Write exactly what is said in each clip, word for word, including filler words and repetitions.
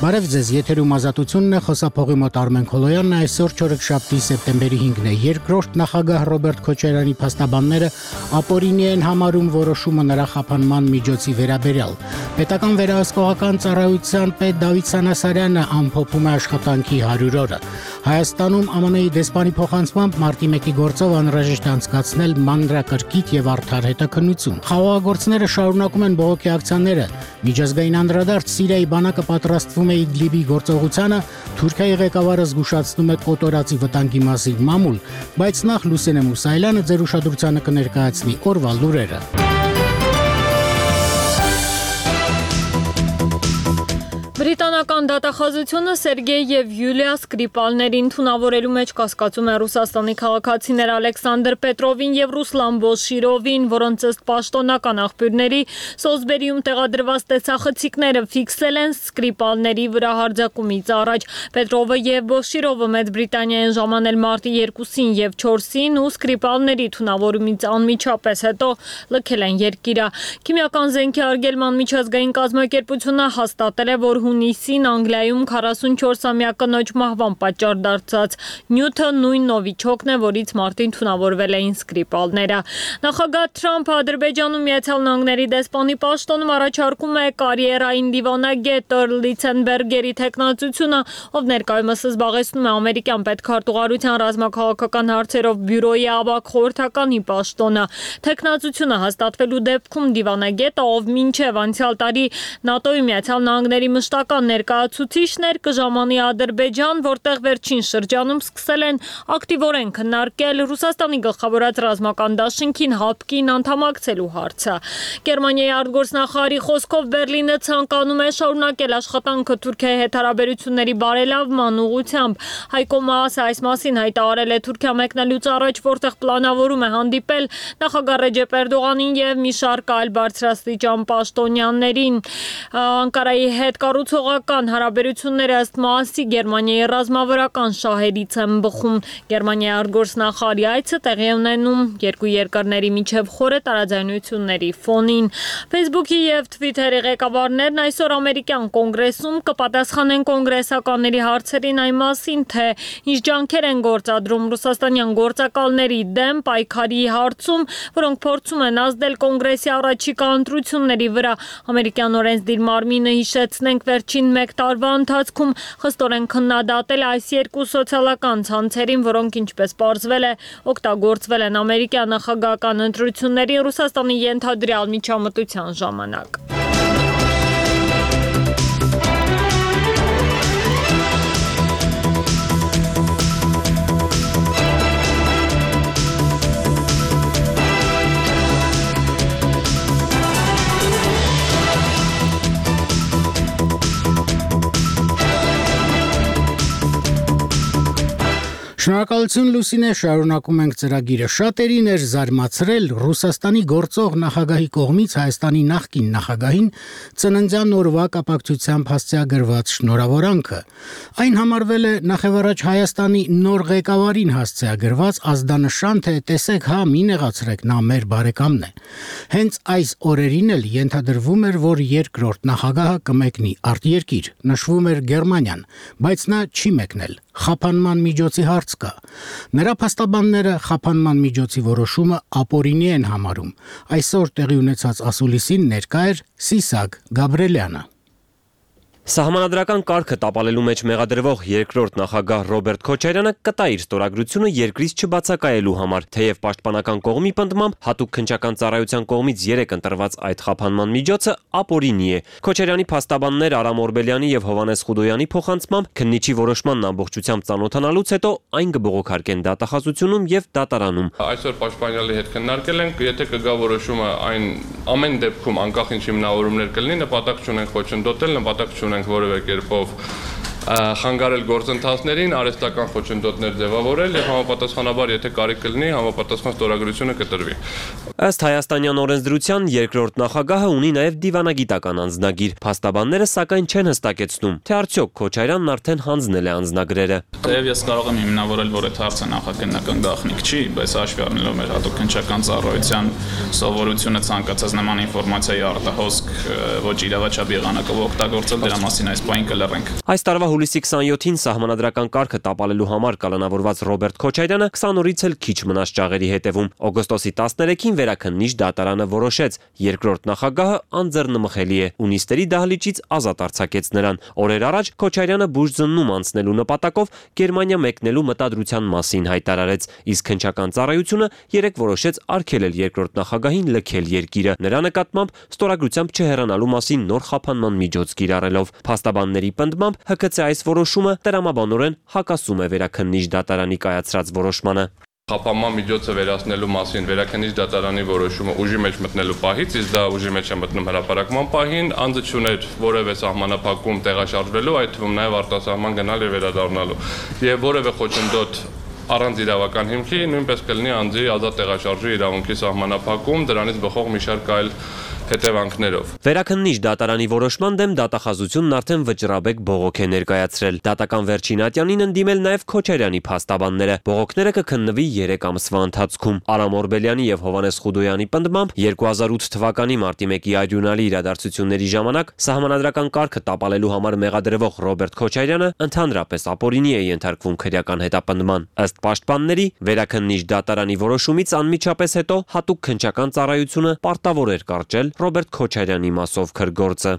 Բարև ձեզ, եթերում ազատությունն է, խոսափողի մոտ Արմեն Քոլոյանն է, այսօր չորեքշաբթի սեպտեմբերի հինգն է, երկրորդ նախագահ Ռոբերտ Քոչարյանի փաստաբանները ապօրինի են համարում որոշումը նրա խափանման միջոցի վերաբերյալ։ Պետական վերահսկողական ծառայության պետ Դավիթ Սանասարյանը ամփոփում է աշխատանքի հարյուր օրը։ Հայաստանում ԱՄՆ դեսպանի փոխանցմամբ մարտի մեկի գործով անհրաժեշտ է անցկացնել մանրակրկիտ եւ արդար հետաքննություն։ Խաղաղագործները շարունակում են բողոքի ակցիաները։ Միջազգային անդրադարձ Սիրիայի բանակը պատրաստվում է Իդլիբի գործողությանը, Թուրքիայի ղեկավարը զգուշացնում է կոտորածի վտանգի մասին մամուլ, բայց նախ Լուսինե Մուսայելյանը ձեր ուշադրությանը կներկայացնի օրվա լուրերը։ Բրիտանական դատախազությունը Սերգեյ եւ Յուլիա Սկրիպալներին թունավորելու մեջ կասկածում է Ռուսաստանի քաղաքացիներ Ալեքսանդր Պետրովին եւ Ռուսլան Բոշիրովին, որոնց ըստ պաշտոնական աղբյուրների Սոզբերիում տեղադրված տեսախցիկները ֆիքսել են Սկրիպալների վրա հարձակումից առաջ։ Պետրովը եւ Բոշիրովը Մեծ Բրիտանիա են ժամանել մարտի երկուսին եւ չորսին ու Սկրիպալների թունավորումից անմիջապես հետո լքել են երկիրը։ Քիմիական զենքի արգելման միջազգային կազմակերպությունը հաստատել է, որ հունիսին Անգլիայում քառասունչորսամյա կնոջ մահվան պատճառ դարձած նյութը նույն նովիչոկն է, որից մարտին թունավորվել էին Սկրիպալները։ Նախագահ Թրամփը Ադրբեջանում Միացյալ Նահանգների դեսպանի պաշտոնում առաջարկում է կարիերային դիվանագետ Էրլ Լիցենբերգերի թեկնածությունը, ով ներկայումս զբաղեցնում է ամերիկյան պետքարտուղարության ռազմաքաղաքական հարցերով բյուրոյի ավագ խորհրդականի պաշտոնը։ Թեկնածությունը հաստատվելու դեպքում դիվանագետը, ով մինչև անցյալ տարի ՆԱՏՕ-ի Միացյալ Նահանգների մշտական ներկայացուցիչներ կժամանի Ադրբեջան, որտեղ վերջին շրջանում սկսել են ակտիվորեն քննարկել Ռուսաստանի գլխավորած ռազմական դաշինքին հապկին անդամակցելու հարցը։ Գերմանիայի արտգործնախարարի խոսքով Բերլինը ցանկանում է շարունակել աշխատանքը Թուրքիայի հետ հարաբերությունների բարելավման ուղղությամբ։ Հայկո Մաասը այս մասին հայտարարել է Թուրքիա մեկնելուց առաջ, որտեղ պլանավորում է հանդիպել նախագահ Ռեջեփ Էրդողանին եւ մի շարք այլ բարձրաստիճան պաշտոնյաներին։ Անկարայի հետ կառուցողական հարաբերությունները ըստ Մաասի Գերմանիայի ռազմավարական շահերից են բխում։ Գերմանիայի արտգործնախարարի այցը տեղի է ունենում երկու երկրների միջև խորը տարաձայնությունների ֆոնին։ Facebook-ի եւ Twitter-ի ղեկավարներն այսօր ամերիկյան կոնգրեսում կպատասխանեն կոնգրեսականների հարցերին այն մասին, թե ինչ ջանքեր են գործադրում ռուսաստանյան գործակալների դեմ պայքարի հարցում, որոնք փորձում են ազդել կոնգրեսի առաջիկա ընտրությունների վրա։ Ամերիկյան օրենսդիր մարմինը հիշեցնենք վերջին մեկ տարվա ընթացքում խստորեն քննադատել այս երկու սոցիալական ցանցերին, որոնք ինչպես պարզվել է, օգտագործվել են ամերիկյան նախագահական ընտրությունների Ռուսաստանի ենթադրյալ միջամտության ժամանակ։ Շնորհակալություն Լուսինե, շարունակում ենք ծրագիրը։ Շատերին էր զարմացրել Ռուսաստանի գործող նախագահի կողմից Հայաստանի նախկին նախագահին ծննդյան օրվա կապակցությամբ հասցեագրված շնորհավորանքը։ Այն համարվել է նախևառաջ Հայաստանի նոր ղեկավարին հասցեագրված ազդանշան, թե տեսեք, հա, մի նեղացրեք, նա մեր բարեկամն է։ Հենց այս օրերին էլ ենթադրվում էր, որ երկրորդ նախագահը կմեկնի արտերկիր, նշվում էր Գերմանիան, բայց նա չի մեկնել։ Խափանման միջոցի հարց կա։ Նրա փաստաբանները խափանման միջոցի որոշումը ապօրինի են համարում։ Այսօր տեղի ունեցած ասուլիսին ներկա էր Սիսակ Գաբրելյանը։ Սահմանադրական կարգը տապալելու մեջ մեղադրվող երկրորդ նախագահ Ռոբերտ Քոչարյանը կտա իր ստորագրությունը երկրից չբացակայելու համար, թեև պաշտպանական կողմի պնդմամբ հատուկ քննչական ծառայության կողմից երեկ ընտրված այդ խափանման միջոցը ապօրինի է։ Քոչարյանի փաստաբաններ Արամ Օրբելյանի եւ Հովհաննես Խուդոյանի փոխանցմամբ քննիչի որոշմանն ամբողջությամբ ծանոթանալուց հետո այն կբողոքարկեն դատախազությունում եւ դատարանում։ Այսօր պաշտպանյալի հետ քննարկել ենք, եթե կգա որոշումը, այն ամեն դեպքում անկախ ինչ հիմնավորումներ կլինի, նպատակ չունենք խոչընդոտել, նպատակ չունենք որևէ կերպով խանգարել գործընթացներին, արհեստական խոչընդոտներ ձևավորել եւ համապատասխանաբար, եթե կարիք կլինի, համապատասխան ստորագրությունը կտրվի։ Ըստ հայաստանյան օրենսդրության երկրորդ նախագահը ունի նաև դիվանագիտական անձնագիր։ Փաստաբանները սակայն չեն հստակեցնում, թե արդյոք Քոչարյանն արդեն հանձնել է անձնագրերը։ Թեև ես կարող եմ հիմնավորել, որ այդ հարցը նախաքննական գաղտնիք չի, բայց հաշվի առնելով մեր հատուկ քննչական ծառայության սովորությունը ցանկացած նման ինֆորմացիայի արտահոսք ոչ իրավաչափ եղանակով օգտագործել, դրա մասին այս պահին կլռենք։ Այս տարվա հուլիսի քսաներկուին սահմանադրական կարգը տապալելու համար կալանավորված Ռոբերտ Քոչարյանը քսան օրից էլ քիչ մնաց ճաղերի հետևում։ Օգոստոսի տասներեքին Վերաքննիչ դատարանը որոշեց, երկրորդ նախագահը անձեռնմխելի է ու նիստերի դահլիճից ազատ արձակեց նրան։ Օրեր առաջ Քոչարյանը բուժձննում անցնելու նպատակով Գերմանիա մեկնելու մտադրության մասին հայտարարեց, իսկ քննչական ծառայությունը երեկ որոշեց արգելել երկրորդ նախագահին լքել երկիրը, նրա նկատմամբ ստորագրությամբ չհեռանալու մասին նոր խափանման միջոց կիրառելով։ Փաստաբանների պնդմամբ Հ Ք Ց այս որոշումը տրամաբանորեն հակասում է Վերաքննիչ դատարանի կայացրած որոշմանը։ Խափանման միջոցը վերացնելու մասին Վերաքննիչ դատարանի որոշումը ուժի մեջ մտնելու պահից, իսկ դա ուժի մեջ է մտնում հրապարակման պահին, անձը չուներ որևէ սահմանափակում տեղաշարժվելու, այդ թվում նաև արտասահման գնալ եւ վերադառնալու։ Եվ որևէ խոչընդոտ առանց իրավական հիմքի նույնպես կլինի անձի ազատ տեղաշարժի իրավունքի սահմանափակում, դրանից բխող մի շարք այլ հետևանքներով։ Վերաքննիչ դատարանի որոշման դեմ դատախազությունն արդեն վճռաբեկ բողոք է ներկայացրել։ Դատական վերջին ատյանին ընդդիմել նաև Քոչարյանի փաստաբանները։ Բողոքները կքննվի երեք ամսվա ընթացքում։ Արամ Օրբելյանի եւ Հովանես Խուդոյանի պնդմամբ երկու հազար ութ թվականի մարտի մեկի արյունալի իրադարձությունների ժամանակ սահմանադրական կարգը տապալելու համար մեղադրվող Ռոբերտ Քոչարյանը ընդհանրապես ապօրինի է ենթարկվում քրեական հետապնդման։ Ըստ պաշտպանների, Վերաքննիչ դատարանի որոշումից անմիջապես հետո հատուկ քննչական ծառայությունը պարտավոր էր կարճել Ռոբերտ Քոչարյանի մասով քրգործը։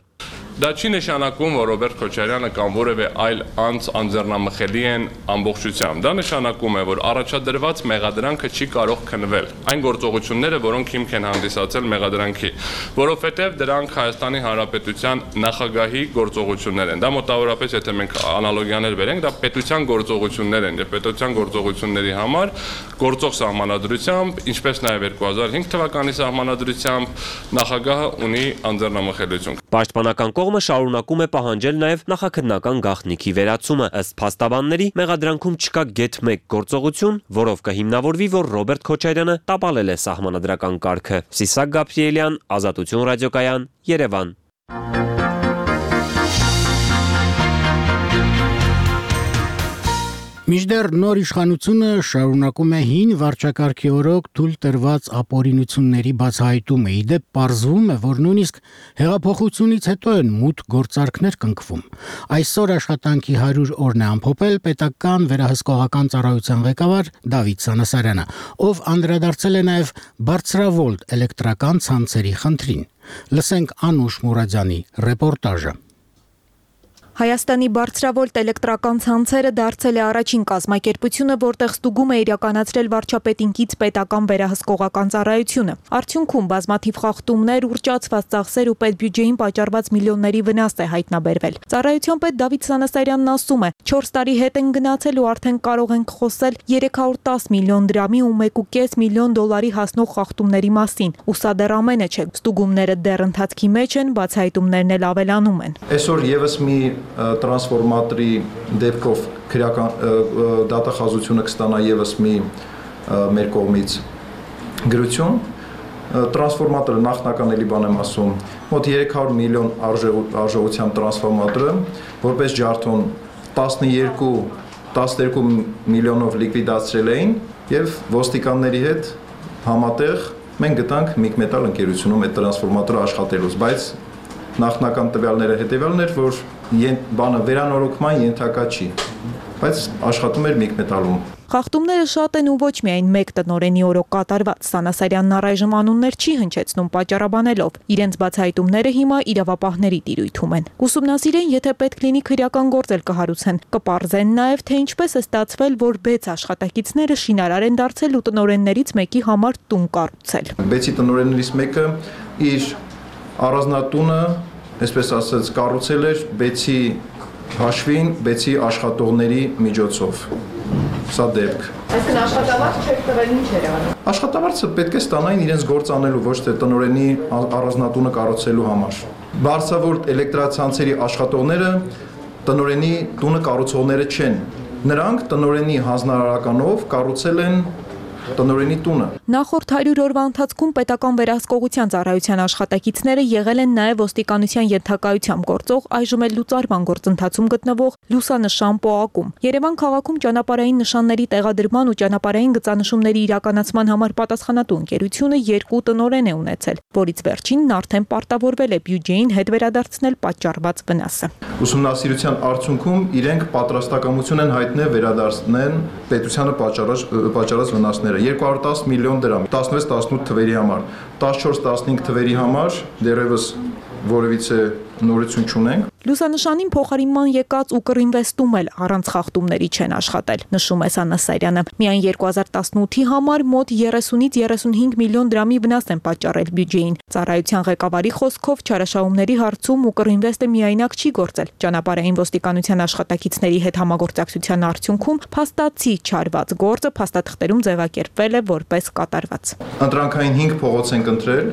Դա չի նշանակում, որ Ռոբերտ Քոչարյանը կամ որևէ այլ անձ անձեռնամխելի են ամբողջությամբ։ Դա նշանակում է, որ առաջադրված մեղադրանքը չի կարող քննվել։ Այն գործողությունները, որոնք հիմք են հանդիսացել մեղադրանքի, որովհետև դրանք Հայաստանի Հանրապետության նախագահի գործողություններ են։ Դա մոտավորապես, եթե մենք անալոգիաներ բերենք, դա պետության գործողություններ են, եւ պետության գործողությունների համար գործող սահմանադրությամբ, ինչպես նաև երկու հազար հինգ թվականի սահմանադրությամբ նախագահը ունի անձեռնամխելիություն։ Պաշտպանական կողմը շարունակում է պահանջել նաև նախաքննական գաղտնիքի վերացումը։ Ըստ փաստաբանների, մեղադրանքում չկա գեթ մեկ գործողություն, որով կհիմնավորվի, որ Ռոբերտ Քոչարյանը տապալել է սահմանադրական կարգը։ Սիսակ Գաբրիելյան, Ազատություն ռադիոկայան, Երևան։ Մինչդեռ նոր իշխանությունը շարունակում է հին վարչակարգի օրոք թույլ տրված ապօրինությունների բացահայտումը։ Իդեպ պարզվում է, որ նույնիսկ հեղափոխությունից հետո են մութ գործարքներ կնքվում։ Այսօր աշխատանքի հարյուր օրն է ամփոփել պետական վերահսկողական ծառայության ղեկավար Դավիթ Սանասարյանը, ով անդրադարձել է նաև բարձրավոլտ էլեկտրական ցանցերի խնդրին։ Լսենք Անուշ Մուրադյանի ռեպորտաժը։ Հայաստանի բարձրավոլտ էլեկտրական ցանցերը դարձել է առաջին կազմակերպությունը, որտեղ ստուգում է իրականացրել վարչապետինքից պետական վերահսկողական ծառայությունը։ Արդյունքում բազմաթիվ խախտումներ, ուռճացված ծախսեր ու պետբյուջեին պատճառված միլիոնների վնաս է հայտնաբերվել։ Ծառայության պետ Դավիթ Սանասարյանն ասում է, չորս տարի հետ են գնացել ու արդեն կարող ենք խոսել երեք հարյուր տասը միլիոն դրամի ու մեկ կես միլիոն դոլարի հասնող խախտումների մասին։ Ու սա դեռ ամենը չէ։ Ստուգումները դեռ ընթացքի մեջ են, բացահայտումներն էլ ավելանում են։ Այսօր եւս մի տրանսֆորմատորի դեպքով քրեական դատախազությունը կստանա եւս մի մեր կողմից գրություն։ Տրանսֆորմատորը նախնական էլի բան եմ ասում, մոտ երեք հարյուր միլիոն արժողությամբ տրանսֆորմատորը, որպես ջարդոն տասներկու միլիոնով լիկվիդացրել էին եւ ոստիկանների հետ համատեղ մենք գտանք Միգմետալ ընկերությունում այդ տրանսֆորմատորը աշխատելուց, բայց նախնական տվյալները հետեւյալն էր, որ բանը վերանորոգման ենթակա չի, բայց աշխատում էր Միգմետալում։ Խախտումները շատ են ու ոչ միայն մեկ տնօրենի օրոք կատարված։ Սանասարյանն առայժմ անուններ չի հնչեցնում պատճառաբանելով։ Իրենց բացահայտումները հիմա իրավապահների տիրույթում են։ Կուսումնասիրեն, եթե պետք լինի քրեական գործ էլ կհարուցեն։ Կպարզեն նաև, թե ինչպես է ստացվել, որ բեց աշխատակիցները շինարար են դարձել ու տնօրեններից մեկի համար տուն կառուցել։ Բեցի տնօրեններից մեկը իր առանձնատունը, այսպես ասած, կառուցել էր բեցի հաշվին, բեցի աշխատողների միջոցով։ Սա դեպք։ Այսինքն աշխատավարձ չեք տվել, ինչ էր անում։ Աշխատավարձը պետք է ստանային իրենց գործ անելու, ոչ թե տնօրենի առանձնատունը կառուցելու համար։ Բարձրավոլտ էլեկտրացանցերի աշխատողները տնօրենի տունը կառուցողները չեն։ Նրանք տնօրենի հանձնարարականով կառուցել են տնօրենի տունը։ Նախորդ հարյուր օրվա ընթացքում պետական վերահսկողության ծառայության աշխատակիցները եղել են նաև ոստիկանության ենթակայությամբ գործող, այժմ էլ լուծարման գործընթացում գտնվող լուսանշան պոակում։ Երևան քաղաքում ճանապարհային նշանների տեղադրման ու ճանապարհային գծանշումների իրականացման համար պատասխանատու ընկերությունը երկու տնօրեն է ունեցել, որից վերջինն արդեն պարտավորվել է բյուջեին հետ վերադարձնել պատճառված վնասը։ Ուսումնասիրության արդյունքում իրենք պատրաստակամություն են հայտնել վերադարձնել պետությանը պատճառած պատճառած վնասները երկու հարյուր տասը միլիոն դրամ, տասնվեց տասնութ թվերի համար, տասնչորս տասնհինգ թվերի համար դեռևս որևիցե նորություն չունենք։ Լուսանշանին փոխարինման եկած Ուկրինվեստում էլ առանց խախտումների չեն աշխատել, նշում է Սանասարյանը։ Միայն երկու հազար տասնութի համար մոտ երեսունից երեսունհինգ միլիոն դրամի վնաս են պատճառել բյուջեին։ Ծառայության ղեկավարի խոսքով չարաշահումների հարցում Ուկրինվեստը միայնակ չի գործել։ Ճանապարհային ոստիկանության աշխատակիցների հետ համագործակցության արդյունքում փաստացի չարված գործը փաստաթղթերում ձևակերպվել է որպես կատարված։ Ընտրանքային հինգ փողոց են ընտրել,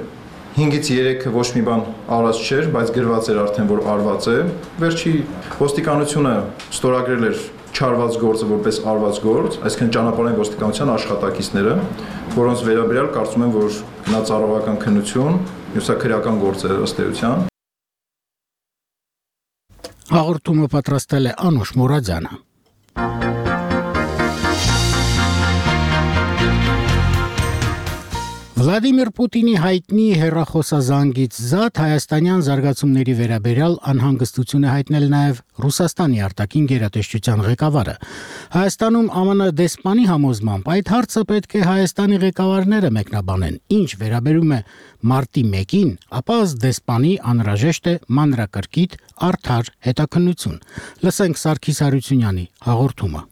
հինգից երեքը ոչ մի բան արված չէր, բայց գրված էր արդեն, որ արված է։ Վերջի ոստիկանությունը ստորագրել էր չարված գործը որպես արված գործ, այսինքն ճանապարհային ոստիկանության աշխատակիցները, որոնց վերաբերյալ կարծում եմ, որ նա ծառայական քննություն, մյուսը քրեական գործ է ըստ էության։ Հաղորդումը պատրաստել է Անուշ Մուրադյանը։ Վլադիմիր Պուտինի հայտնի հեռախոսազանգից զատ հայաստանյան զարգացումների վերաբերյալ անհանգստություն է հայտնել նաև Ռուսաստանի արտաքին գերատեսչության ղեկավարը։ Հայաստանում ԱՄՆ դեսպանի համոզմամբ այդ հարցը պետք է Հայաստանի ղեկավարները մեկնաբանեն։ Ինչ վերաբերում է մարտի մեկին, ապա ըստ դեսպանի անհրաժեշտ է մանրակրկիտ արդար հետաքննություն։ Լսենք Սարգիս Հարությունյանի հաղորդումը։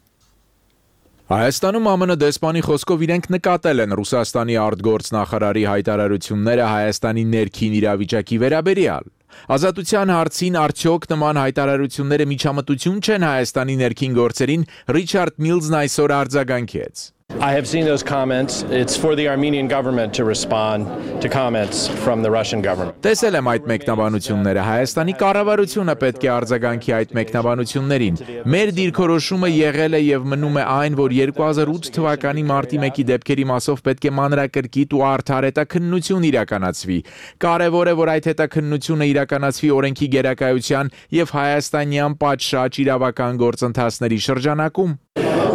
Հայաստանում ԱՄՆ դեսպանի խոսքով իրենք նկատել են Ռուսաստանի արտգործնախարարի հայտարարությունները Հայաստանի ներքին իրավիճակի վերաբերյալ։ Ազատության հարցին արդյոք նման հայտարարությունները միջամտություն չեն Հայաստանի ներքին գործերին, Ռիչարդ Միլզն այսօր արձագանքեց։ I have seen those comments. It's for the Armenian government to respond to comments from the Russian government. Տեսել եմ այդ մեկնաբանությունները, Հայաստանի կառավարությունը պետք է արձագանքի այդ մեկնաբանություններին։ Մեր դիրքորոշումը եղել է եւ մնում է այն, որ երկու հազար ութ թվականի մարտի մեկի դեպքերի մասով պետք է մանրակրկիտ ու արդար հետաքննություն իրականացվի։ Կարևոր է, որ այդ հետաքննությունը իրականացվի օրենքի գերակայության եւ հայաստանյան պատշաճ իրավական գործընթացների շրջանակում։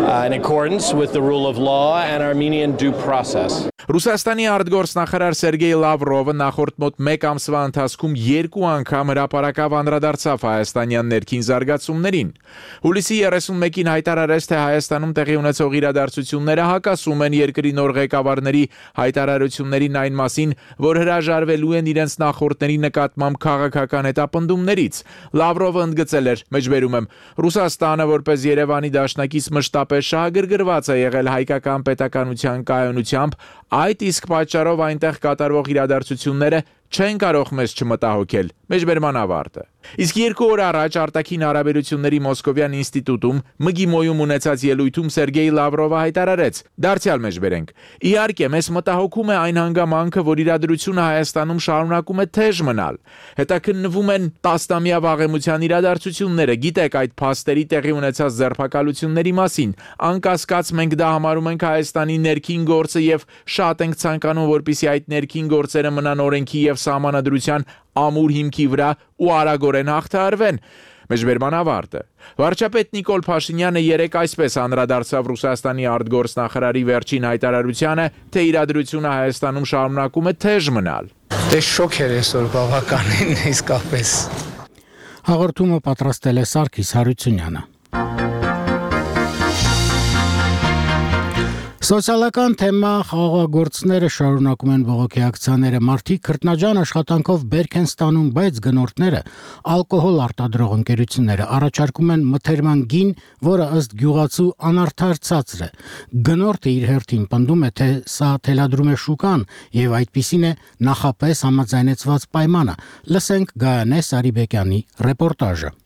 Uh, in accordance with the rule of law and Armenian due process. Ռուսաստանի արտգործնախարար Սերգեյ Լավրովը նախորդ մոտ մեկ ամսվա ընթացքում երկու անգամ հրապարակավ անդրադարձավ հայաստանյան ներքին զարգացումներին։ Հուլիսի երեսունմեկին հայտարարեց, թե Հայաստանում տեղի ունեցող իրադարձությունները հակասում են երկրի նոր ղեկավարների հայտարարություններին այն մասին, որ հրաժարվելու են իրենց նախորդների նկատմամբ քաղաքական հետապնդումներից։ Լավրովը ընդգծել էր, մեջբերում եմ, Ռուսաստանը որպես Երևանի դաշնակից մշտապես շահագրգռված է եղել հայկական պետականության կայունությամբ, այդ իսկ պատճառով այնտեղ կատարվող իրադարձությունները չեն կարող մեզ չմտահոգել։ Մեջբերման ավարտը։ Իսկ երկու օր առաջ արտաքին հարաբերությունների Մոսկովյան ինստիտուտում ՄԳԻՄՈ-ում ունեցած ելույթում Սերգեյ Լավրովը հայտարարեց. Դարձյալ մեջբերենք։ Իհարկե, մեզ մտահոգում է այն հանգամանքը, որ իրադրությունը Հայաստանում շարունակում է թեժ մնալ։ Հետաքննվում են տասնամյա վաղեմության իրադարձությունները, գիտեք այդ փաստերի տեղի ունեցած ձերբակալությունների մասին։ Անկասկած մենք դա համարում ենք Հայաստանի ներքին գործը եւ շատ ենք ցանկանում, որպեսզի այդ ներքին գործերը մնան օրենքի եւ սահմանադրության ամուր հիմքի վրա ու արագորեն հաղթահարվեն։ Մեջբերման ավարտը։ Վարչապետ Նիկոլ Փաշինյանը երեկ այսպես անդրադարձավ Ռուսաստանի արտգործնախարարի վերջին հայտարարությանը, թե իրադրությունը Հայաստանում շարունակում է թեժ մնալ։ Դե շոկ էր այսօր բավականին իսկապես։ Հաղորդումը պատրաստել է Սարգիս Հարությունյանը։ Սոցիալական թեմա խաղաղագործները շարունակում են բողոքի ակցիաները, մարդիկ քրտնաջան աշխատանքով բերք են ստանում, բայց գնորդները, ալկոհոլ արտադրող ընկերությունները առաջարկում են մթերման գին, որը ըստ գյուղացու անարդար ցածր է։ Գնորդը իր հերթին պնդում է, թե սա թելադրում է շուկան եւ այդպիսին է նախապես համաձայնեցված պայմանը։ Լսենք Գայանե Սարիբեկյանի ռեպորտաժը։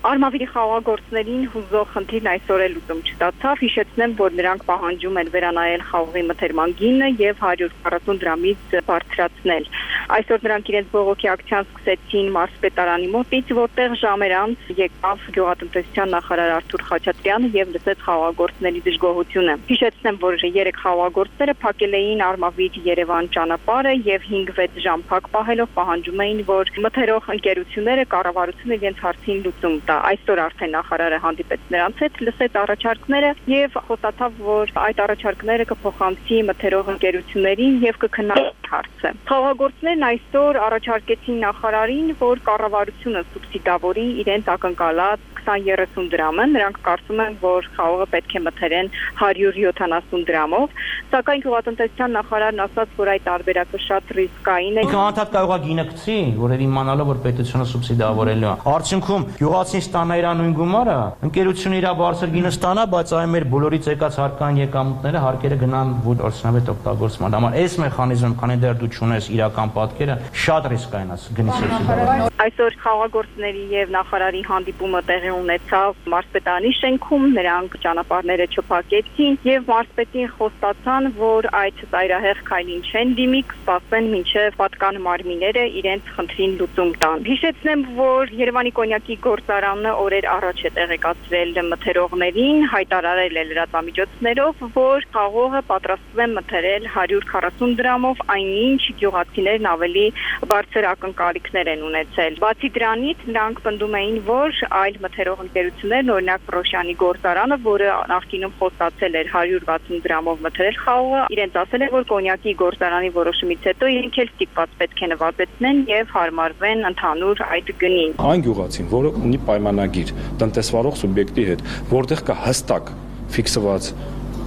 Արմավիրի խաղաղագործներին հուզող խնդիրն այսօր էլ լուծում չստացավ, հիշեցնեմ, որ նրանք պահանջում են վերանայել խաղողի մթերման գինը եւ հարյուր քառասուն դրամից բարձրացնել։ Այսօր նրանք իրենց բողոքի ակցիան սկսեցին մարզպետարանի մոտից, որտեղ ժամեր անց եկավ գյուղատնտեսության նախարար Արթուր Խաչատրյանը եւ լսեց խաղաղագործների դժգոհությունը։ Հիշեցնեմ, որ երեք խաղաղագործները փակել էին Արմավիր-Երևան ճանապարհը եւ հինգ-վեց ժամ փակ պահելով պահանջում էին, որ մթերող ընկերությունները կառավարությունը իրենց հարցին լուծում տա։ Այսօր արդեն նախարարը հանդիպեց նրանց հետ, լսեց առաջարկները եւ խոստացավ, որ այդ առաջարկները կփոխանցի մթերող ընկերություններին եւ կքննարկի հարցը։ Խաղաղագործներն այսօր առաջարկեցին նախարարին, որ կառավարությունը սուբսիդավորի իրենց ակնկալած քսան-երեսուն դրամը, նրանք կարծում են, որ խաղողը պետք է մթերեն հարյուր յոթանասուն դրամով, սակայն գյուղատնտեսության նախարարն ասաց, որ այդ տարբերակը շատ ռիսկային է։ Ինքը անդադ կարող է գինը գցի, որ իմանալով որ պետությունը սուբսիդավորելու է։ Արդյունքում գյուղացին ստանա իր նույն գումարը, ընկերությունը իր բարձր գինը ստանա, բայց այ մեր բոլորից եկած հարկային եկամուտները հարկերը գնան որսնավետ օգտագործման համար։ Այս մեխանիզմը, քանի դեռ դու չունես իրական պատկերը, շատ ռիսկային է գնի սուբսիդավորել։ Այսօր խաղաղագործների եւ նախարարի հանդիպումը տեղի ունեցավ մարզպետարանի շենքում, նրանք ճանապարհները չփակեցին եւ մարզպետին խոստացան, որ այդ ծայրահեղ քայլին չեն դիմի, կսպասեն մինչեւ պատկան մարմինները իրենց խնդրին լուծում տան։ Հիշեցնեմ, որ Երևանի կոնյակի գործարանը օրեր առաջ է տեղեկացրել մթերողներին, հայտարարել է լրատվամիջոցներով, որ խաղողը պատրաստվում է մթերել հարյուր քառասուն դրամով, այնինչ գյուղացիներն ավելի բարձր ակնկալիքներ են ունեցել։ Բացի դրանից, նրանք պնդում էին, որ այլ մթերող ընկերություններն, օրինակ Պրոշյանի գործարանը, որը նախկինում խոստացել էր հարյուր վաթսուն դրամով մթերել խաղողը, իրենց ասել է, որ կոնյակի գործարանի որոշումից հետո իրենք էլ ստիպված պետք է նվազեցնեն եւ հարմարվեն ընդհանուր այդ գնին։ Այն գյուղացին, որը ունի պայմանագիր տնտեսվարող սուբյեկտի հետ, որտեղ կա հստակ ֆիքսված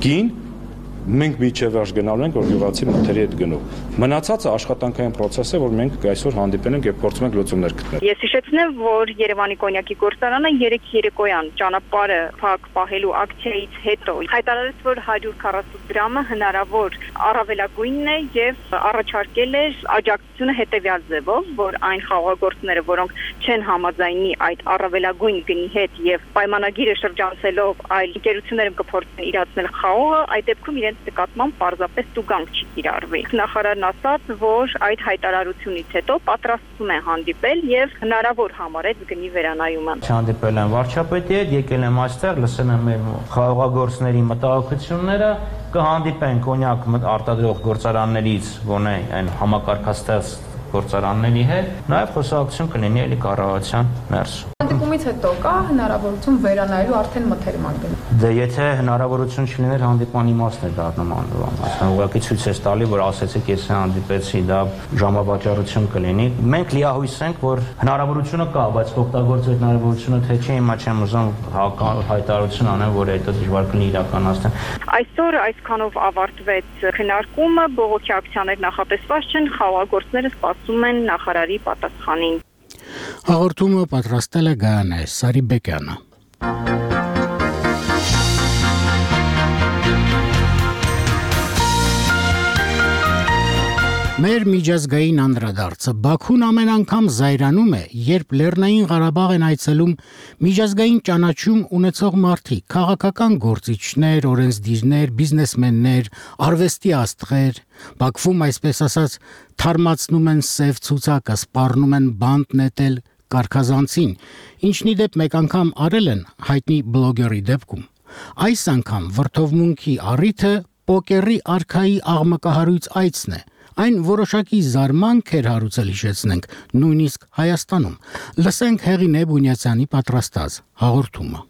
գին, մենք միջև վերջ գնալու ենք, որ գյուղացի մթերի հետ գնով։ Մնացածը աշխատանքային process է, որ մենք այսօր հանդիպել ենք եւ փորձում ենք լուծումներ գտնել։ Ես հիշեցնեմ, որ Երևանի կոնյակի գործարանը երեք երեկոյան ճանապարհը փակ պահելու ակցիայից հետո հայտարարեց, որ հարյուր քառասուն դրամը հնարավոր առավելագույնն է եւ առաջարկել էր աջակցությունը հետեւյալ ձևով, որ այն խաղաղագործները, որոնք չեն համաձայնի այդ առավելագույն գնի հետ եւ պայմանագիրը շրջանցելով այլ ընկերությունները կփորձեն իրացնել խաղողը, այդ դեպքում իրենց նկատմամբ պարզապես տուգանք չի կիրառվի։ Նախարարն ասաց, որ այդ հայտարարությունից հետո պատրաստվում է հանդիպել եւ հնարավոր համարեց գնի վերանայումը։ Հանդիպել եմ վարչապետի հետ, եկել եմ այստեղ, լսել եմ մեր խաղաղագործների մտահոգությունները, կհանդիպենք կոնյակ արտադրող գործարաններից, գոնե այն համակարգաստեղծ գործարանների հետ, նաեւ խոսակցություն կլինի էլի կառավարության ներսում։ Հանդիպումից հետո կա հնարավորություն վերանայելու արդեն մթերման գնի։ Դե եթե հնարավորություն չլիներ հանդիպման իմաստն է դառնում անվան, այսինքն ուղղակի ցույց է տալի, որ ասեցիք ես հանդիպեցի, դա ժամավաճառություն կլինի։ Մենք լիահույս ենք, որ հնարավորությունը կա, բայց օգտագործել հնարավորությունը թե չէ, հիմա չեմ ուզում հայտարարություն անեմ, որ այդ դժվար կլինի իրականացնել։ Այսօր այսքանով ավարտվեց քննարկումը, բողոքի ակցիաներ նախատեսված չեն, խաղաղագործները սպասում են նախարարի պատասխանին։ Հաղորդումը պատրաստել է Գայանե Սարիբեկյանը։ Մեր միջազգային անդրադարձը Բաքուն ամեն անգամ զայրանում է, երբ Լեռնային Ղարաբաղ են այցելում միջազգային ճանաչում ունեցող մարդիկ, քաղաքական գործիչներ, օրենսդիրներ, բիզնեսմեններ, արվեստի աստղեր, Բաքվում այսպես ասած թարմացնում են սև ցուցակը, սպառնում են բանտ նետել կարգազանցին, ինչն ի դեպ մեկ անգամ արել են հայտնի բլոգերի դեպքում։ Այս անգամ վրդովմունքի առիթը պոկերի արքայի աղմկահարույց այցն է։ Այն որոշակի զարմանք էր հարուցել, հիշեցնենք, նույնիսկ Հայաստանում։ Լսենք Հեղինե Բունյացյանի պատրաստած հաղորդումը։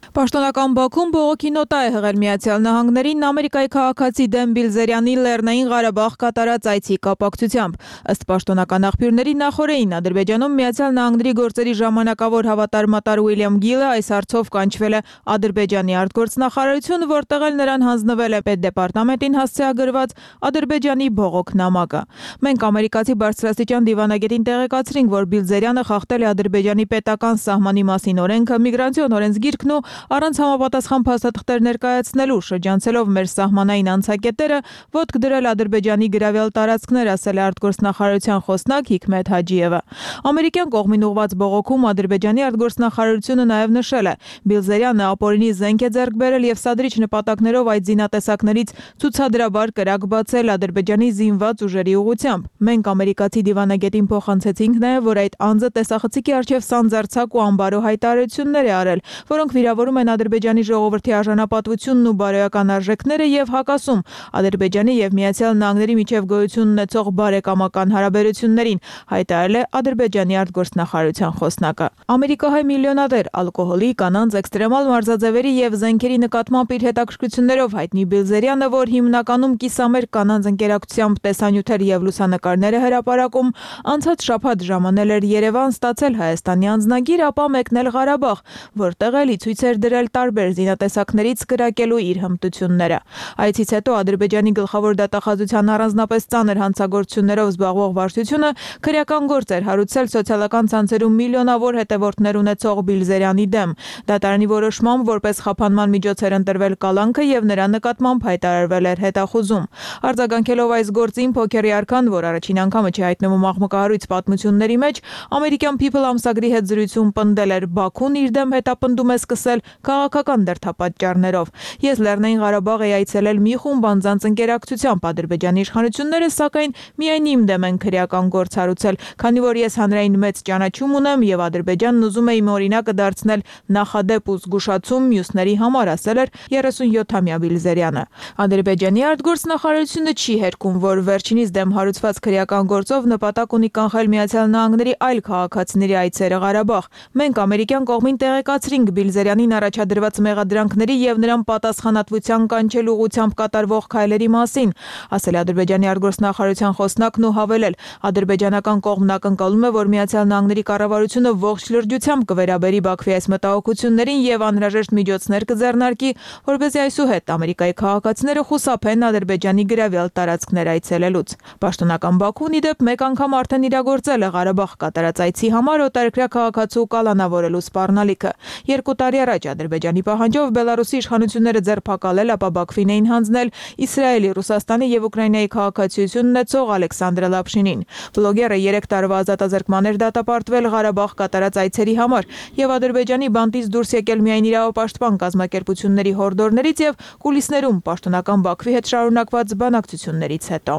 Պաշտոնական Բաքուն բողոքի նոտա է հղել Միացյալ Նահանգներին Ամերիկայի քաղաքացի Դեն Բիլզերյանի Լեռնային Ղարաբաղ կատարած այցի կապակցությամբ։ Ըստ պաշտոնական աղբյուրների նախորդին Ադրբեջանում Միացյալ Նահանգների գործերի ժամանակավոր հավատարմատար Ուիլյամ Գիլը այս հարցով կանչվել է Ադրբեջանի արտգործնախարարություն, որտեղ էլ նրան հանձնվել է պետդեպարտամենտին հասցեագրված Ադրբեջանի բողոքնամակը։ Մենք ամերիկացի բարձրաստիճան դիվանագետին տեղեկացրինք, որ Բիլզերյանը խախտել է Ադրբեջանի պետական սահմանի մասին օրենքը, միգրացիոն օրենսգիրքն ու Առանց համապատասխան փաստաթղթեր ներկայացնելու, շրջանցելով մեր սահմանային անցակետերը, ոտք դրել Ադրբեջանի գրավյալ տարածքներ, ասել է արտգործնախարարության խոսնակ Հիկմետ Հաջիևը։ Ամերիկյան կողմին ուղված բողոքում Ադրբեջանի արտգործնախարարությունը նաև նշել է. Բիլզերյանը ապօրինի զենք է ձեռք բերել եւ սադրիչ նպատակներով այդ զինատեսակներից ցուցադրաբար կրակ բացել Ադրբեջանի զինված ուժերի ուղղությամբ։ Մենք ամերիկացի դիվանագետին փոխանցեցինք նաև, որ այդ անձը տեսախցիկի առջև սանձարձակ ու անբարո հայտարարություններ է արել, որոնք վիրավորում են Ադրբեջանի ժողովրդի արժանապատվությունն ու բարոյական արժեքները եւ հակասում Ադրբեջանի եւ Միացյալ Նահանգների միջև գոյություն ունեցող բարեկամական հարաբերություններին, հայտարարել է Ադրբեջանի արտգործնախարարության խոսնակը։ Ամերիկահայ միլիոնադեր ալկոհոլի, կանանց, էքստրեմալ մարզաձևերի եւ զենքերի նկատմամբ իր հետաքրքրություններով հայտնի Բիլզերյանը, որ հիմնականում կիսամերկ կանանց ընկերակցությամբ տեսանյութեր եւ լուսանկարներ է հրապարակում, անցած շաբաթ ժամանել էր Երևան ստացել Հայաստանի անձնագիր, ապա մեկնել Ղարաբաղ, որտեղ էլի ցույց էր դրել տարբեր զինատեսակներից կրակելու իր հմտությունները։ Այցից հետո Ադրբեջանի գլխավոր դատախազության առանձնապես ծանր հանցագործություններով զբաղվող վարչությունը քրեական գործ էր հարուցել սոցիալական ցանցերում միլիոնավոր հետևորդներ ունեցող Բիլզերյանի դեմ։ Դատարանի որոշմամբ որպես խափանման միջոց էր ընտրվել կալանքը եւ նրա նկատմամբ հայտարարվել էր հետախուզում։ Արձագանքելով այս գործին Փոքերի արքան, որ առաջին անգամը չի հայտնվում աղմկահարույց պատմությունների մեջ, ամերիկյան People ամսագրի հետ զրույցում պնդել էր Բաքուն իր դեմ հետապնդում է սկսել քաղաքական դրդապատճառներով։ Ես Լեռնային Ղարաբաղ էի այցելել մի խումբ անձանց ընկերակցությամբ, Ադրբեջանի իշխանությունները սակայն միայն իմ դեմ են քրեական գործ հարուցել, քանի որ ես հանրային մեծ ճանաչում ունեմ եւ Ադրբեջանն ուզում է իմ օրինակը դարձնել նախադեպ ու զգուշացում մյուսների համար, ասել էր երեսունյոթամյա Բիլզերյանը։ Ադրբեջանի արտգործնախարարությունը չի հերքում, որ վերջինիս դեմ հարուցված քրեական գործով նպատակ ունի կանխել Միացյալ Նահանգների այլ քաղաքացիների այցերը Ղարաբաղ։ Մենք ամերիկյան կողմին տեղեկացրինք Բիլզերյանին առաջադրված մեղադրանքների եւ նրան պատասխանատվության կանչելու ուղղությամբ կատարվող քայլերի մասին, ասել է Ադրբեջանի արտգործնախարարության խոսնակն ու հավելել. Ադրբեջանական կողմն ակնկալում է, որ Միացյալ Նահանգների կառավարությունը ողջ լրջությամբ կվերաբերի Բաքվի այս մտահոգություններին եւ անհրաժեշտ միջոցներ կձեռնարկի, որպեսզի այսուհետ Ամերիկայի քաղաքացիները խուսափեն Ադրբեջանի գրավյալ տարածքներ այցելելուց։ Պաշտոնական Բաքուն ի դեպ մեկ անգամ արդեն իրագործել է Ղարաբաղ կատարած այցի համար օտարերկրյա քաղաքացու կալանավորելու սպառնալիքը։ Երկու տարի առաջ Ադրբեջանի պահանջով Բելարուսի իշխանությունները ձերբակալել, ապա Բաքվին էին հանձնել Իսրայելի, Ռուսաստանի եւ Ուկրաինայի քաղաքացիություն ունեցող Ալեքսանդր Լապշինին։ Բլոգերը երեք տարվա ազատազրկման էր դատապարտվել Ղարաբաղ կատարած այցերի համար եւ Ադրբեջանի բանտից դուրս եկել միայն իրավապաշտպան կազմակերպությունների հորդորներից եւ կուլիսներում պաշտոնական Բաքվի հետ շարունակված բանակցություններից հետո։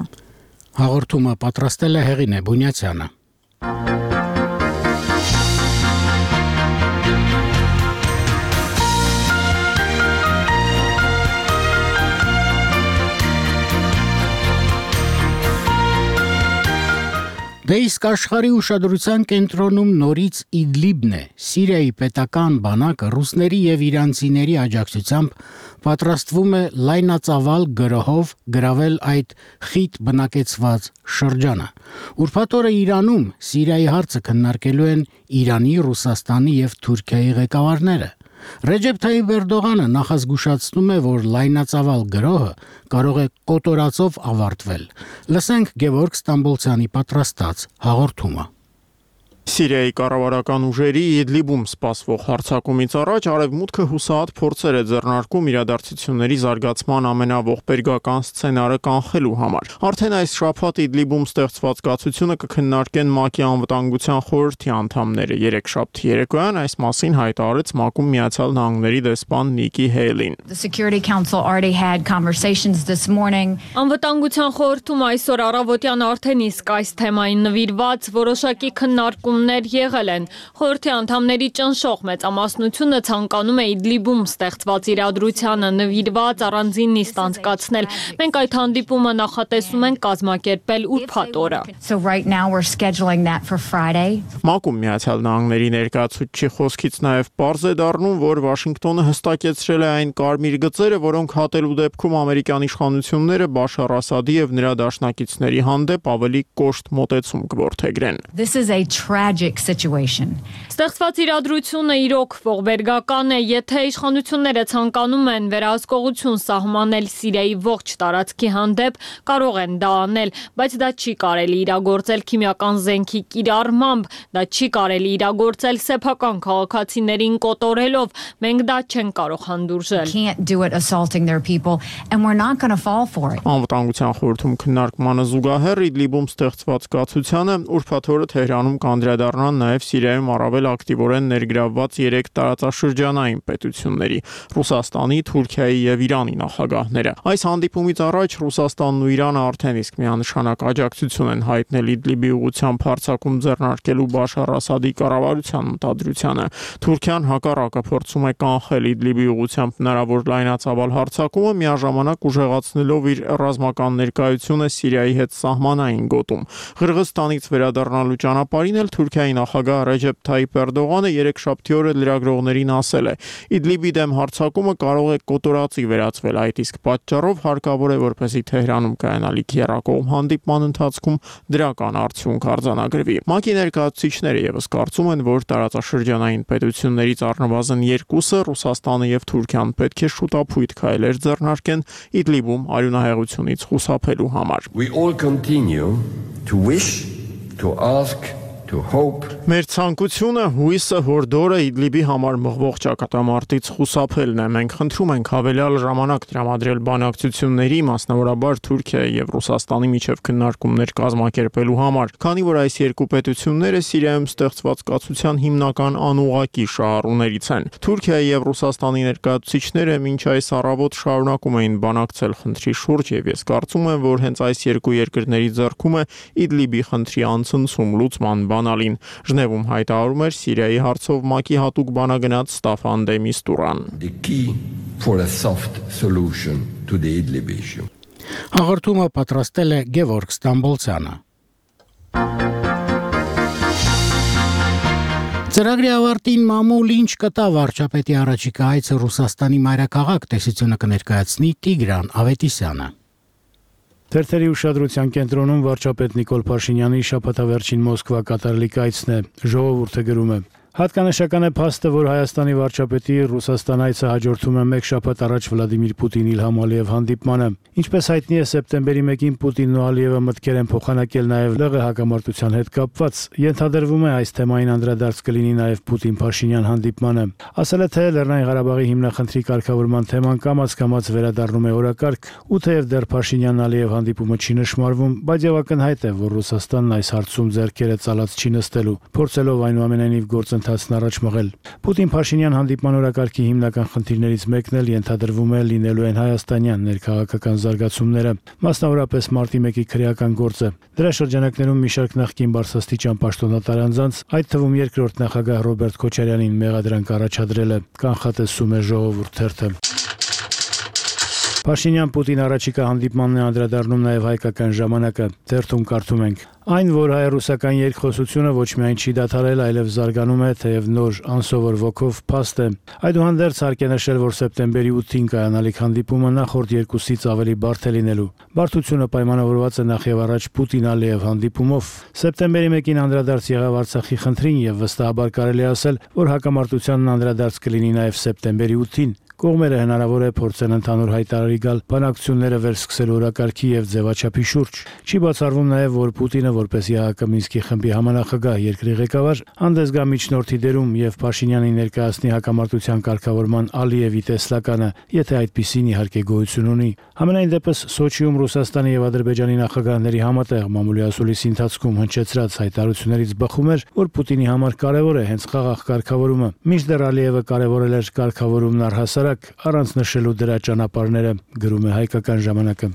Հաղորդումը պատրաստել է Հեղինե Բունյացյանը։ Դե իսկ աշխարհի ուշադրության կենտրոնում նորից Իդլիբն է։ Սիրիայի պետական բանակը ռուսների եւ իրանցիների աջակցությամբ պատրաստվում է լայնածավալ գրոհով գրավել այդ խիտ բնակեցված շրջանը։ Ուրբաթ օրը Իրանում Սիրիայի հարցը քննարկելու են Իրանի, Ռուսաստանի եւ Թուրքիայի ղեկավարները։ Ռեջեփ Թայիփ Էրդողանը նախազգուշացնում է, որ լայնածավալ գրոհը կարող է կոտորածով ավարտվել։ Լսենք Գևորգ Ստամբոլցյանի պատրաստած հաղորդումը։ Սիրիայի կառավարական ուժերի Իդլիբում սպասվող հարձակումից առաջ Արևմուտքը հուսահատ փորձեր է ձեռնարկում իրադարձությունների զարգացման ամենաողբերգական սցենարը կանխելու համար։ Արդեն այս շաբաթ Իդլիբում ստեղծված կացությունը կքննարկեն ՄԱԿ-ի անվտանգության խորհրդի անդամները։ Երեքշաբթի երեկոյան այս մասին հայտարարեց ՄԱԿ-ում Միացյալ Նահանգների դեսպան Նիկի Հեյլին։ Անվտանգության խորհրդում այսօր առավոտյան արդեն իսկ այս թեմային նվիրված որոշակի քննարկումներ եղել են։ Խորհրդի անդամների ճնշող մեծամասնությունը ցանկանում է Իդլիբում ստեղծված իրադրությանը նվիրված առանձին նիստ անցկացնել։ Մենք այդ հանդիպումը նախատեսում ենք կազմակերպել ուրբաթ օրը։ ՄԱԿ-ում Միացյալ Նահանգների ներկայացուցչի խոսքից նաև պարզ է դառնում, որ Վաշինգտոնը հստակեցրել է այն կարմիր գծերը, որոնք հատելու դեպքում ամերիկյան իշխանությունները Բաշար Ասադի եւ նրա դաշնակիցների հանդեպ ավելի կոշտ մոտեցում կորդեգրեն։ tragic situation. Ստեղծված իրադրությունը իրոք ողբերգական է, եթե իշխանությունները ցանկանում են վերահսկողություն սահմանել Սիրիայի ողջ տարածքի հանդեպ, կարող են դա անել, բայց դա չի կարելի իրագործել քիմիական զենքի կիրառմամբ, դա չի կարելի իրագործել սեփական քաղաքացիներին կոտորելով, մենք դա չենք կարող հանդուրժել։ Can't do it assaulting their people and we're not going to fall for it. Անվտանգության խորհրդում քննարկմանը զուգահեռ Իդլիբում ստեղծված կացությանը ուրբաթ օրը Թեհրանում կանդրադառնան նաև Սիրիայում առավել ակտիվորեն ներգրավված երեք տարածաշրջանային պետությունների՝ Ռուսաստանի, Թուրքիայի եւ Իրանի նախագահները։ Այս հանդիպումից առաջ Ռուսաստանն ու Իրանը արդեն իսկ միանշանակ աջակցություն են հայտնել Իդլիբի ուղղությամբ հարձակում ձեռնարկելու Բաշար Ասադի կառավարության մտադրությանը։ Թուրքիան հակառակը փորձում է կանխել Իդլիբի ուղղությամբ հնարավոր լայնածավալ հարձակումը, միաժամանակ ուժեղացնելով իր ռազմական ներկայությունը Սիրիայի հետ սահմանային գոտում։ Ղրղստանից վերադառնալու ճանապարհին էլ Թուրքիայի նախագահ Ռեջեփ Թայիփ Էրդողանը երեքշաբթի օրը լրագրողներին ասել է. Իդլիբի դեմ հարձակումը կարող է կոտորածի վերածվել, այդ իսկ պատճառով հարկավոր է, որպեսզի Թեհրանում կայանալիք եռակողմ հանդիպման ընթացքում դրական արդյունք արձանագրվի։ ՄԱԿ-ի ներկայացուցիչները եւս կարծում են, որ տարածաշրջանային պետություններից առնվազն երկուսը Ռուսաստանը եւ Թուրքիան պետք է շուտապույտ քայլեր ձեռնարկեն Իդլիբում արյունահեղությունից խուսափելու համար։ We all continue to wish, to ask, to hope. Մեր ցանկությունը հույսը հորդորը Իդլիբի համար մղվող ճակատամարտից խուսափելն է։ Մենք խնդրում ենք հավելյալ ժամանակ տրամադրել բանակցությունների, մասնավորաբար Թուրքիայի եւ Ռուսաստանի միջև քննարկումներ կազմակերպելու համար, քանի որ այս երկու պետությունները Սիրիայում ստեղծված կացության հիմնական անուղղակի շահառուներից են։ Թուրքիայի եւ Ռուսաստանի ներկայացուցիչները մինչ այս առավոտ շարունակում էին բանակցել խնդրի շուրջ եւ ես կարծում եմ, որ հենց այս երկու երկրների ձեռքում է Իդլիբի խնդրի անցնցում լուծման բանալին։ Ժնևում հայտարարում էր Սիրիայի հարցով ՄԱԿ-ի հատուկ բանագնաց Ստաֆան դե Միստուրան։ The key for a soft solution to the Idlib issue. Հաղորդումը պատրաստել է Գևորգ Ստամբոլցյանը։ Ծրագրի ավարտին մամուլ ինչ կտա վարչապետի առաջիկա այցը Ռուսաստանի մայրաքաղաք տեսությունը կներկայացնի Տիգրան Ավետիսյանը։ Թերթերի ուշադրության կենտրոնում վարչապետ Նիկոլ Փաշինյանի շաբաթավերջին Մոսկվա կատարելիք այցն է, ժողովուրդը գրում է։ Հատկանշական է փաստը, որ Հայաստանի վարչապետի Ռուսաստան այցը հաջորդում է մեկ շաբաթ առաջ Վլադիմիր Պուտին-Իլհամ Ալիև հանդիպմանը։ Ինչպես հայտնի է, սեպտեմբերի մեկին Պուտինն ու Ալիևը մտքեր են փոխանակել նաև ԼՂ հակամարտության հետ կապված։ Ենթադրվում է այս թեմային անդրադարձ կլինի նաև Պուտին-Փաշինյան հանդիպմանը։ Ասել է, թե Լեռնային Ղարաբաղի հիմնախնդրի կարգավորման թեման կամաց-կամաց վերադառնում է օրակարգ, ու թեև դեռ Փաշինյան-Ալիև հանդիպումը չի նշмарվում, բայց եւ ակնհայտ է, որ Ռուսաստանն այս հարցում ձեռքերը ցալած չի նստելու, փորձելով այնուամենայնիվ գործընթացն առաջ մղել։ Պուտին-Փաշինյան հանդիպման օրակարգի հիմնական խնդիրներից մեկն էլ ենթադրվում է լինելու են հայաստանյան ներքաղաքական զարգացումները, մասնավորապես մարտի մեկի քրեական գործը։ Դրա շրջանակներում մի շարք նախկին բարձրաստիճան պաշտոնատար անձանց, այդ թվում երկրորդ նախագահ Ռոբերտ Քոչարյանին մեղադրանք առաջադրել է, կանխատեսում է Ժողովուրդ թերթը։ Փաշինյան-Պուտին առաջիկա հանդիպմանն է անդրադառնում նաև հայկական ժամանակը։ Թերթում կարդում ենք. Այն, որ հայ-ռուսական երկխոսությունը ոչ միայն չի դադարել, այլև զարգանում է, թեև նոր անսովոր ոգով փաստ է։ Այդուհանդերձ հարկ է նշել, որ սեպտեմբերի ութին կայանալիք հանդիպումը նախորդ երկուսից ավելի բարդ է լինելու։ Բարդությունը պայմանավորված է նախ եւ առաջ Պուտին-Ալիև հանդիպումով։ Սեպտեմբերի մեկին անդրադարձ եղավ Արցախի խնդրին եւ վստահաբար կարելի է ասել, որ հակամարտությանն անդրադարձ կլինի նաև սեպտեմբերի ութին։ Կողմերը հնարավոր է փորձեն ընդհանուր հայտարարի գալ բանակցությունները վերսկսելու օրակարգի եւ ձևաչափի շուրջ։ Չի բացառվում նաեւ, որ Պուտինը որպես ԵԱՀԿ Մինսկի խմբի համանախագահ երկրի ղեկավար հանդես գա միջնորդի դերում եւ Փաշինյանին ներկայացնի հակամարտության կարգավորման Ալիևի տեսլականը, եթե այդպիսին իհարկե գոյություն ունի։ Համենայն դեպս Սոչիում Ռուսաստանի եւ Ադրբեջանի նախագահների համատեղ մամուլի ասուլիսի ընթացքում հնչեցրած հայտարարություններից բխում էր, որ Պուտինի համար կարևոր է հենց խաղաղ կարգավորումը։ Մինչդեռ Ալիևը կարևորել էր կարգավորումն առհասարակ առանց նշելու դրա ճանապարհները, գրում է հայկական ժամանակը։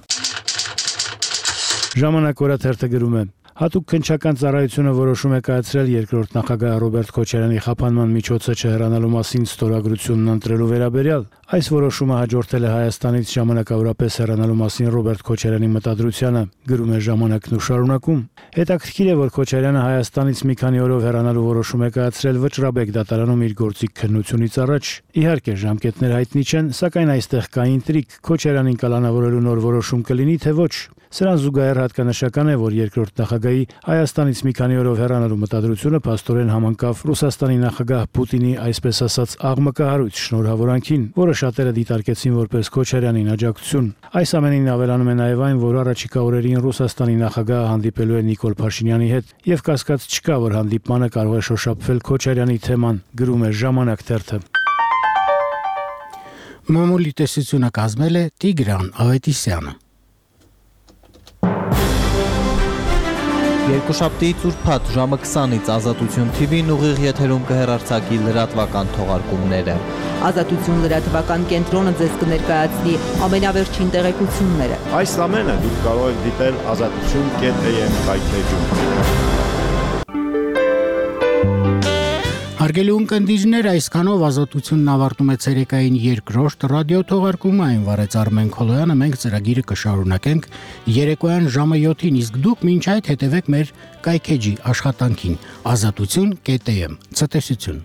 Ժամանակ օրաթերթը գրում է. Հատուկ քննչական ծառայությունը որոշում է կայացրել երկրորդ նախագահ Ռոբերտ Քոչարյանի խափանման միջոցը չհեռանալու մասին ստորագրությունն ընտրելու վերաբերյալ։ Այս որոշումը հաջորդել է Հայաստանից ժամանակավորապես հեռանալու մասին Ռոբերտ Քոչարյանի մտադրությանը, գրում է ժամանակն ու շարունակում։ Հետաքրքիր է, որ Քոչարյանը Հայաստանից մի քանի օրով հեռանալու որոշում է կայացրել Վճռաբեկ դատարանում իր գործիք քննությունից առաջ։ Իհարկե ժամկետներ հայտնի չեն, սակայն այստեղ կա ինտրիգ, Քոչարյանին կալանավորելու նոր որոշում կլինի, թե ոչ։ Սրան զուգահեռ հատկանշական է, որ երկրորդ նախագահի Հայաստանից մի քանի օրով հեռանալու մտադրությունը փաստորեն համընկավ Ռուսաստանի նախագահ Պուտինի այսպես ասած աղմկահարույց շնորհավորանքին, որը շատերը դիտարկեցին որպես Քոչարյանին աջակցություն։ Այս ամենին ավելանում է նաև այն, որ առաջիկա օրերին Ռուսաստանի նախագահը հանդիպելու է Նիկոլ Փաշինյանի հետ, եւ կասկած չկա, որ հանդիպմանը կարող է շոշափվել Քոչարյանի թեման, գրում է Ժամանակ թերթը։ Մամուլի տեսությունը կազմել է Տիգրան Ավետիսյանը։ Երկուշաբթիից ուրբաթ ժամը քսանից Ազատություն թի վին ուղիղ եթերում կհեռարձակի լրատվական թողարկումները։ Ազատություն լրատվական կենտրոնը ձեզ կներկայացնի ամենավերջին տեղեկությունները։ Այս ամենը դուք կարող եք դիտել ազատություն կետ am կայքեջում։ Հարգելի ունկնդիրներ, այսքանով Ազատությունն ավարտում է ցերեկային երկրորդ ռադիո թողարկումը, այն վարեց Արմեն Քոլոյանը, մենք ծրագիրը կշարունակենք երեկոյան ժամը յոթին, իսկ դուք մինչ այդ հետևեք մեր կայքեջի աշխատանքին ազատություն կետ am։ Ցտեսություն։